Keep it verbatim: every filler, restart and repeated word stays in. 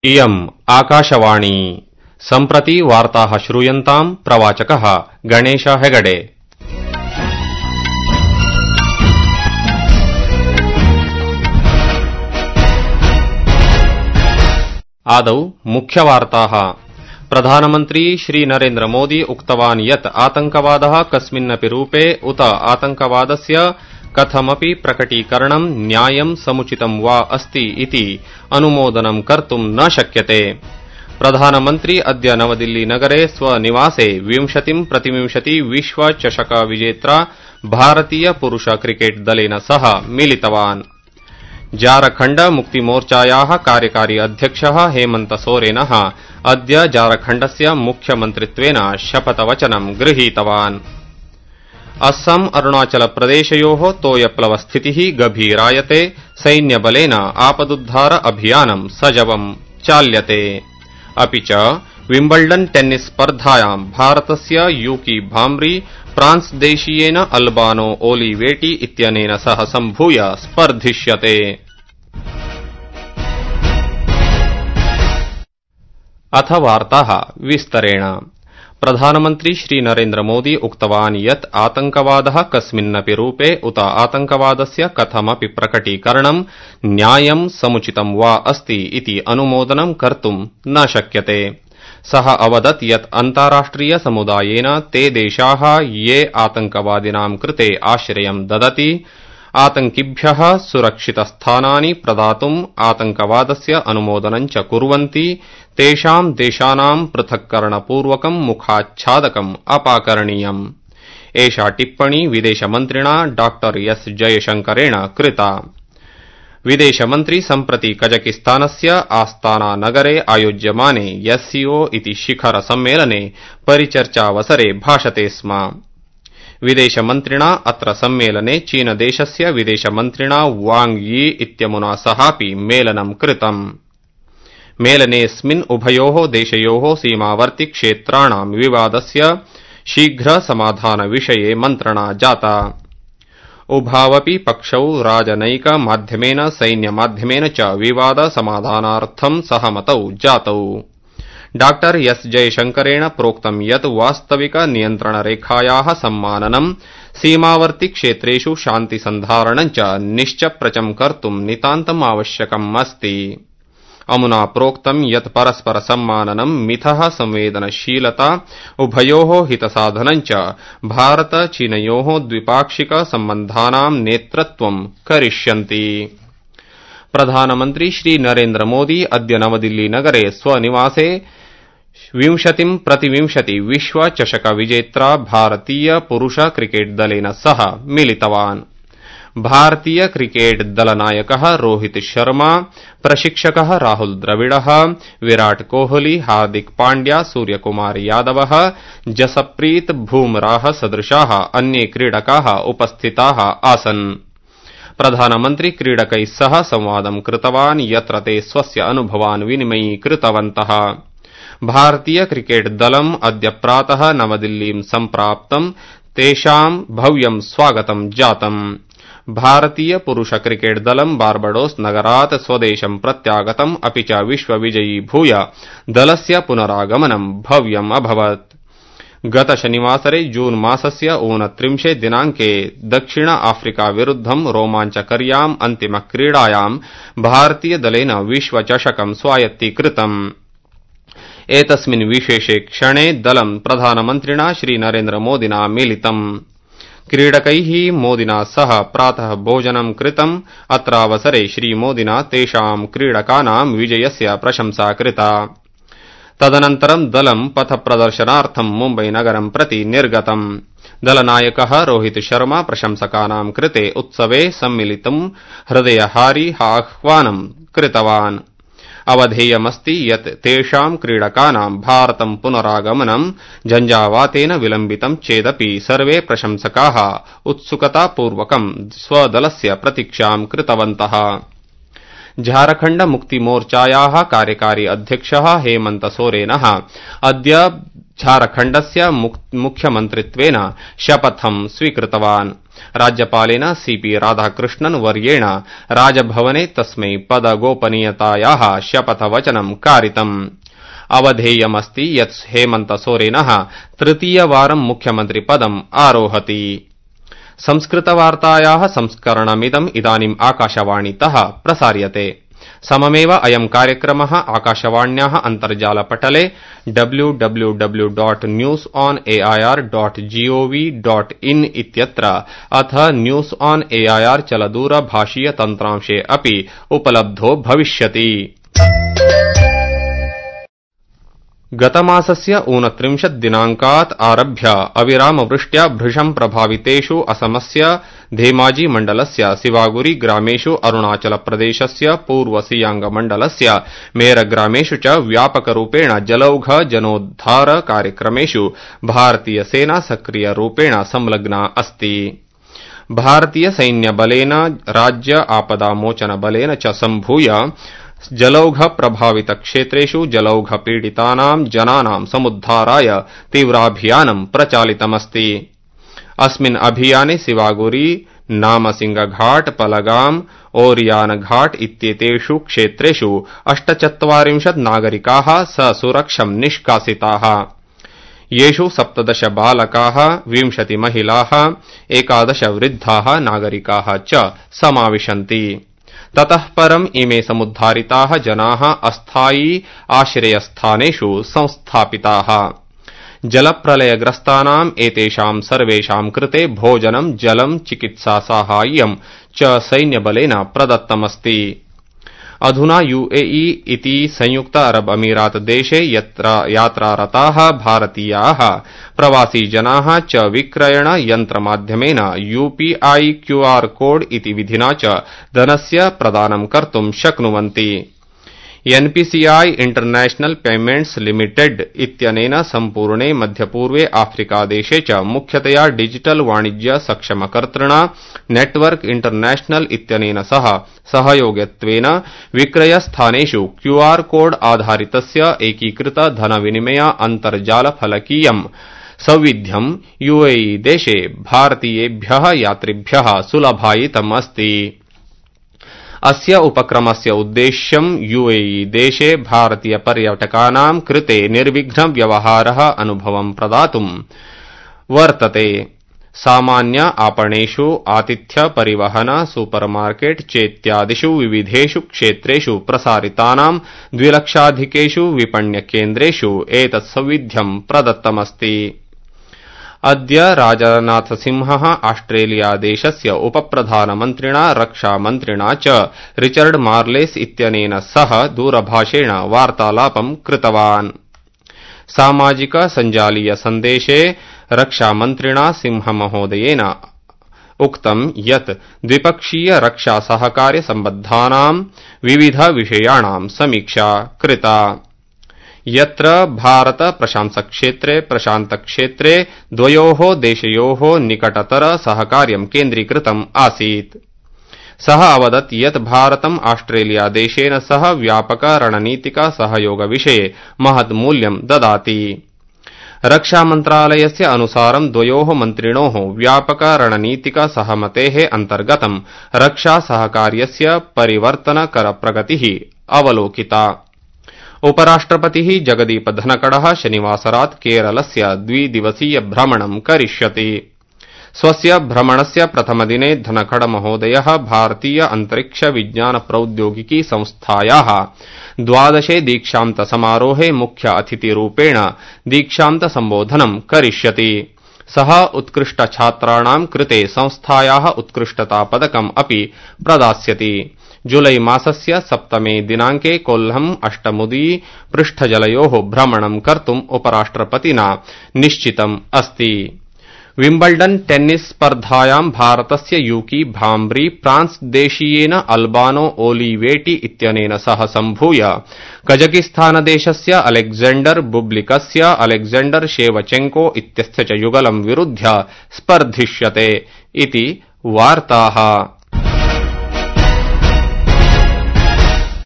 इयम् आकाशवाणी सम्प्रति वार्ताः श्रूयन्ताम् प्रवाचकः गणेश हेगडे। आदौ मुख्यवार्ताः। प्रधानमन्त्री श्री नरेन्द्र मोदी उक्तवान् यत् आतंकवादः कस्मिन्नपि रूपे उत आतंकवादस्य कथमपि प्रकटीकरणं न्यायं समुचितं वा अस्ति इति अनुमोदनं कर्तुं न शक्यते। प्रधानमन्त्री अद्य नवदिल्ली नगरे स्वनिवासे विंशतिं प्रतिविंशति विश्व चषक विजेत्रा भारतीय पुरुष क्रिकेट दलेन सह मिलितवान्। झारखण्ड मुक्तिमोर्चायाः कार्यकारी अध्यक्षः हेमन्त सोरेनः अद्य झारखण्डस्य मुख्यमन्त्रित्वेन शपथवचनं गृहीतवान्। अस्सम अरुणाचल प्रदेशयोः तोयप्लवस्थितिः गभीरायते, सैन्यबलेन आपदुद्धार अभियानं सजवं चाल्यते। अपि च विम्बल्डन् टेन्निस् स्पर्धायां भारतस्य यूकी भाम्री फ्रांस देशीयेन अल्बानो ओलिवेटी इत्यनेन सह सम्भूय स्पर्धिष्यते। अथ वार्ताः विस्तरेण। प्रधानमन्त्री श्री नरेन्द्र मोदी उक्तवान् यत् आतंकवादः कस्मिन्नपि रूपे उत आतंकवादस्य कथमपि प्रकटीकरणं न्यायं समुचितं वा अस्ति इति अनुमोदनं कर्तुं न शक्यते। सः अवदत् यत् अन्ताराष्ट्रिय समुदायेन ते देशाः ये आतंकवादिनां कृते आश्रयं ददति, आतंकिभ्यः सुरक्षितस्थानानि प्रदातुम् आतंकवादस्य अनुमोदनं च कुर्वन्ति, तेषां देशानां पृथक्करणपूर्वकं मुखाच्छादकम् अपाकरणीयम्। एषा टिप्पणी विदेशमन्त्रिणा डॉ एस जयशंकरेण कृता। विदेशमन्त्री सम्प्रति कजकिस्तानस्य आस्ताना नगरे आयोज्यमाने एससीओ इति शिखर सम्मेलने परिचर्चावसरे भाषते स्म। विदेशमन्त्रिणा अत्र सम्मेलने चीनदेशस्य विदेशमन्त्रिणा वांग यी इत्यमुना सहापि मेलनं कृतम्। मेलनेऽस्मिन् उभयोः देशयोः सीमावर्ति क्षेत्राणां विवादस्य शीघ्र समाधान विषये मन्त्रणा जाता। उभावपि पक्षौ राजनैक माध्यमेन सैन्यमाध्यमेन च विवाद समाधानार्थं सहमतौ जातौ। डॉ एस जयशंकरेण प्रोक्तं यत् वास्तविक नियन्त्रणरेखायाः सम्माननं, सीमावर्ति क्षेत्रेषु शान्तिसन्धारणं च निश्चप्रचं कर्तुं नितान्तम् आवश्यकम् अस्ति। अमुना प्रोक्तं यत् परस्पर सम्माननं, मिथः संवेदनशीलता, उभयोः हितसाधनं च भारत चीनयोः द्विपाक्षिक सम्बन्धानां नेतृत्वं करिष्यन्ति। प्रधानमन्त्री श्री नरेन्द्र मोदी अद्य नवदिल्ली नगरे स्वनिवासे विंशतिं प्रतिविंशति विश्व चषक विजेत्रा भारतीय पुरुष क्रिकेट दलेन सह मिलितवान्। भारतीय क्रिकेट दलनायकः रोहित शर्मा, प्रशिक्षकः राहुल द्रविडः, विराट कोहली, हार्दिक पांड्या, सूर्यकुमार यादवः, जसप्रीत बुमराह सदृशाः अन्ये क्रीडकाः उपस्थिताः आसन्। प्रधानमन्त्री क्रीडकैः सह संवादं कृतवान्, यत्र ते स्वस्य अनुभवान् विनिमयीकृतवन्तः। भारतीय क्रिकेट दलम् अद्य प्रातः नवदिल्लीं सम्प्राप्तं, तेषां भव्यं स्वागतं जातम्। भारतीय पुरुष क्रिकेट दलं बार्बडोस नगरात् स्वदेशं प्रत्यागतम्, अपि च विश्वविजयी भूय दलस्य पुनरागमनं भव्यम् अभवत्। गत शनिवासरे जून मासस्य ऊनत्रिंशे दिनाङ्के दक्षिण आफ्रिका विरुद्धं रोमाञ्चकर्याम् अन्तिमक्रीडायां भारतीय दलेन विश्वचषकं स्वायत्तीकृतम्। एतस्मिन् विशेषे क्षणे दलं प्रधानमन्त्रिणा श्री नरेन्द्र मोदिना मिलितम्। क्रीडकैः मोदिना सह प्रातः भोजनं कृतम्। अत्रावसरे श्रीमोदिना तेषां क्रीडकानां विजयस्य प्रशंसा कृता। तदनन्तरं दलं पथप्रदर्शनार्थं मुम्बईनगरं प्रति निर्गतम्। दलनायकः रोहित शर्मा प्रशंसकानां कृते उत्सवे सम्मिलितुं हृदयहारि आह्वानं कृतवान्। अवधेयमस्ति यत् तेषां क्रीडकानां भारतं पुनरागमनं झञ्झावातेन विलम्बितं चेदपि सर्वे प्रशंसकाः उत्सुकतापूर्वकं स्वदलस्य प्रतीक्षां कृतवन्तः। झारखण्ड मुक्तिमोर्चायाः कार्यकारी अध्यक्षः हेमन्त सोरेनः अद्य झारखण्डस्य मुख्यमन्त्रित्वेन शपथं स्वीकृतवान्। राज्यपालेन सीपी राधाकृष्णन् वर्येण राजभवने तस्मै पदगोपनीयतायाः शपथवचनं कारितम्। अवधेयमस्ति यत् हेमन्तसोरेनः तृतीयवारं मुख्यमन्त्रिपदम् आरोहति। संस्कृतवार्तायाः संस्करणमिदम् इदानीम् आकाशवाणीतः प्रसार्यते। सममेव अयं कार्यक्रमः आकाशवाण्याः अन्तर्जालपटले W W W dot news on AIR dot G O V dot in इत्यत्र अथ न्यूज ऑन एआईआर चलदूरभाषीय तन्त्रांशे अपि उपलब्धो भविष्यति। गतमासस्य ऊनत्रिंशत् दिनाङ्कात् आरभ्य अविरामवृष्ट्या भृशं प्रभावितेषु असमस्य धेमाजी मण्डलस्य सिवागुरी ग्रामेषु अरुणाचलप्रदेशस्य पूर्व सियांग मण्डलस्य मेरग्रामेषु च व्यापकरूपेण जलौघ जनोद्धार कार्यक्रमेषु भारतीयसेना सक्रियरूपेण संलग्ना अस्ति। भारतीय सैन्यबलेन राज्य आपदामोचनबलेन च सम्भूय जलौघ प्रभावित क्षेत्रेषु जलौघ पीडितानां जनानां समुद्धाराय तीव्राभियानं प्रचालितमस्ति। अस्मिन् अभियाने सिवागुरी नामसिंगघाट पलगाम ओरियान घाट इत्येतेषु क्षेत्रेषु अष्टचत्वारिंशत् नागरिकाः ससुरक्षं निष्कासिताः। येषु सप्तदश बालकाः विंशति महिलाः एकादश वृद्धाः नागरिकाः च समाविशन्ति। ततः परम् इमे समुद्धारिताः जनाः अस्थायी आश्रयस्थानेषु संस्थापिताः। जलप्रलयग्रस्तानाम् एतेषां सर्वेषां कृते भोजनं जलं चिकित्सासाहाय्यं च सैन्यबलेन प्रदत्तमस्ति। अधुना यूएई इति संयुक्त अरब अमीरात देशे यात्रारताः भारतीयाः प्रवासी जनाः च विक्रयण यन्त्रमाध्यमेन यूपीआई क्यूआर कोड इति विधिना च धनस्य प्रदानं कर्तुं शक्नुवन्ति। एनपीसीआई इंटरनेशनल पेमेंट्स लिमिटेड इत्यनेन सम्पूर्णे मध्यपूर्वे आफ्रिकादेशे च मुख्यतया डिजिटल वाणिज्य सक्षमकर्तृणा नेटवर्क इंटरनेशनल इत्यनेन सह सहयोगत्वेन विक्रयस्थानेषु क्यूआर कोड आधारितस्य एकीकृत धनविनिमय अन्तर्जालफलकीयं सौविध्यं यूएई देशे भारतीयेभ्यः यात्रिभ्यः सुलभायितमस्ति। अस्य उपक्रमस्य उद्देश्यं यूएई देशे भारतीय पर्यटकानां कृते निर्विघ्न व्यवहारः अनुभवं प्रदातुं वर्तते। सामान्य आपणेषु आतिथ्य परिवहन सुपरमार्केट चेत्यादिषु विविधेषु क्षेत्रेषु प्रसारितानां द्विलक्षाधिकेषु विपण्यकेन्द्रेषु एतत् सौविध्यं प्रदत्तमस्ति। अद्य राजनाथसिंहः ऑस्ट्रेलियादेशस्य उपप्रधानमन्त्रिणा रक्षामन्त्रिणा च रिचर्ड मार्लेस इत्यनेन सह दूरभाषेण वार्तालापं कृतवान्। सामाजिक सञ्जालीय सन्देशे रक्षामन्त्रिणा सिंहमहोदयेन उक्तं यत् द्विपक्षीय रक्षा सहकार्य सम्बद्धानां विविध विषयाणां समीक्षा कृता। यत्र भारत प्रशांत क्षेत्रे प्रशांत क्षेत्रे द्वयोः देशयोः निकटतर सहकार्यं केन्द्रीकृतम् आसीत्। सः अवदत् यत् भारतम् ऑस्ट्रेलिया देशेन सह व्यापक रणनीतिक सहयोग विषये महत् मूल्यं ददाति। रक्षा मन्त्रालयस्य अनुसारं द्वयोः मन्त्रिणोः व्यापक रणनीतिक सहमतेः अन्तर्गतं रक्षा सहकार्यस्य परिवर्तनकर प्रगतिः अवलोकिता। उपराष्ट्रपतिः जगदीप धनकड़ः शनिवासरात् केरलस्य द्विदिवसीय भ्रमणं करिष्यति। स्वस्य भ्रमणस्य प्रथमदिने धनखड़ महोदयः भारतीय अंतरिक्ष विज्ञान प्रौद्योगिकी संस्थायाः द्वादशे दीक्षान्त समारोहे मुख्य अतिथिरूपेण दीक्षान्त सम्बोधनं करिष्यति। सः उत्कृष्ट छात्राणां कृते संस्थायाः उत्कृष्टता पदकम् अपि प्रदास्यति। जुलाई मासस्य सप्तमे दिनांके कोल्लम अष्टमुदी पृष्ठजलयोः भ्रमणं कर्तुम् उपराष्ट्रपतिना निश्चितम् अस्ति। विम्बल्डन टेनिस स्पर्धायां भारतस्य यूकी भाम्ब्री फ्रांस देशीयेन अल्बानो ओलिवेटी इत्यनेन सह सम्भूय कजकिस्तान देशस्य अलेक्जेंडर बुब्लिकस्य अलेक्जेंडर शेवचेंको इत्यस्य च युगलं विरुध्य स्पर्धिष्यते इति वार्ताः।